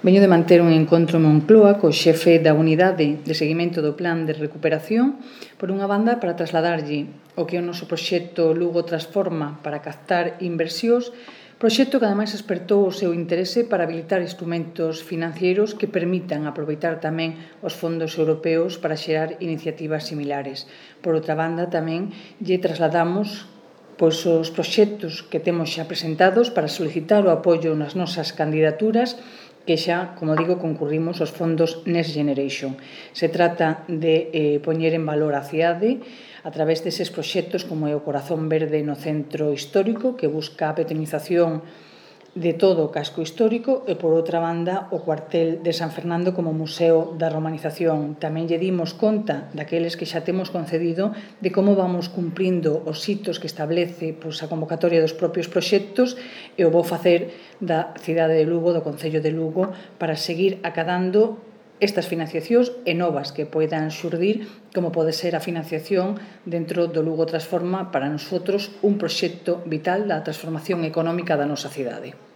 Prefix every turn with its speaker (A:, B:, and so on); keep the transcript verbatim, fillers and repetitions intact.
A: Veño de manter un encontro en Moncloa co xefe da unidade de seguimento do plan de recuperación, por unha banda, para trasladarlle o que é o noso proxecto Lugo Transforma para captar inversións, proxecto que ademais despertou o seu interese para habilitar instrumentos financeiros que permitan aproveitar tamén os fondos europeos para xerar iniciativas similares. Por outra banda, tamén lle trasladamos pois, os proxectos que temos xa presentados para solicitar o apoio nas nosas candidaturas que xa, como digo, concurrimos aos fondos Next Generation. Se trata de eh, poñer en valor a cidade a través deses proxectos como é o Corazón Verde no Centro Histórico, que busca a petronización de todo o casco histórico, e, por outra banda, o cuartel de San Fernando como Museo da Romanización. Tamén lle dimos conta daqueles que xa temos concedido de como vamos cumprindo os hitos que establece pois, a convocatoria dos propios proxectos, e o vou facer da cidade de Lugo, do Concello de Lugo, para seguir acadando estas financiacións e novas que poidan xurdir, como pode ser a financiación dentro do Lugo Transforma, para nosotros un proxecto vital da transformación económica da nosa cidade.